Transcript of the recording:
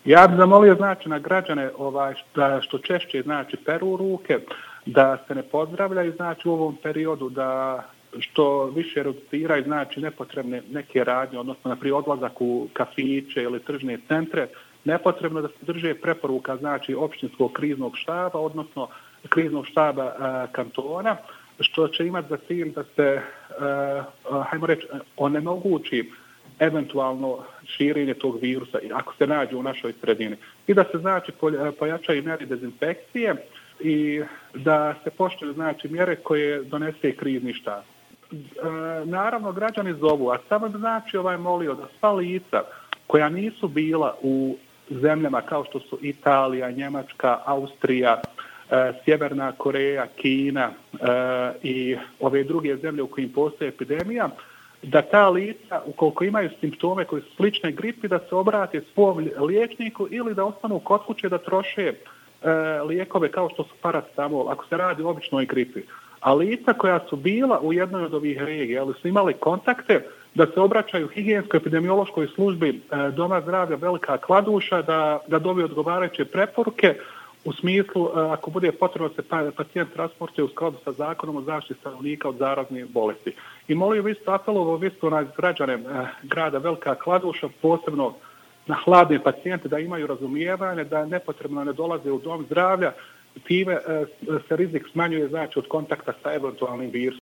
Ja bih zamolio znači na građane da što češće znači peru ruke, da se ne pozdravljaju znači u ovom periodu, da što više reduciraju znači nepotrebne neke radnje, odnosno na primjer odlazak u kafiće ili tržne centre, nepotrebno da se drže preporuka znači općinskog kriznog štaba, odnosno kriznog štaba kantona, što će imati za cilj da se, hajmo reći, onemogući eventualno širenje tog virusa ako se nađe u našoj sredini. I da se znači pojačaju mjere dezinfekcije i da se poštuju znači mjere koje donese krizni štab. Naravno građani zovu, a samo znači molio da sva lica koja nisu bila u zemljama kao što su Italija, Njemačka, Austrija, Sjeverna Koreja, Kina i ove druge zemlje u kojim postoji epidemija, da ta lica, ukoliko imaju simptome koji su slične gripi, da se obrate svom liječniku ili da ostanu kod kuće da troše lijekove kao što su paracetamol, ako se radi o običnoj gripi. A lica koja su bila u jednoj od ovih regija, ali su imali kontakte, da se obraćaju higijenskoj epidemiološkoj službi Doma zdravlja Velika Kladuša, da dobiju odgovarajuće preporuke u smislu ako bude potrebno se pacijent transportuje u skladu sa zakonom o zaštiti stanovnika od zaraznih bolesti. I molio vi ste apelovao vi ste na građane grada Velika Kladuša, posebno na hladne pacijente, da imaju razumijevanje, da nepotrebno ne dolaze u dom zdravlja, time se rizik smanjuje znači od kontakta sa eventualnim virusom.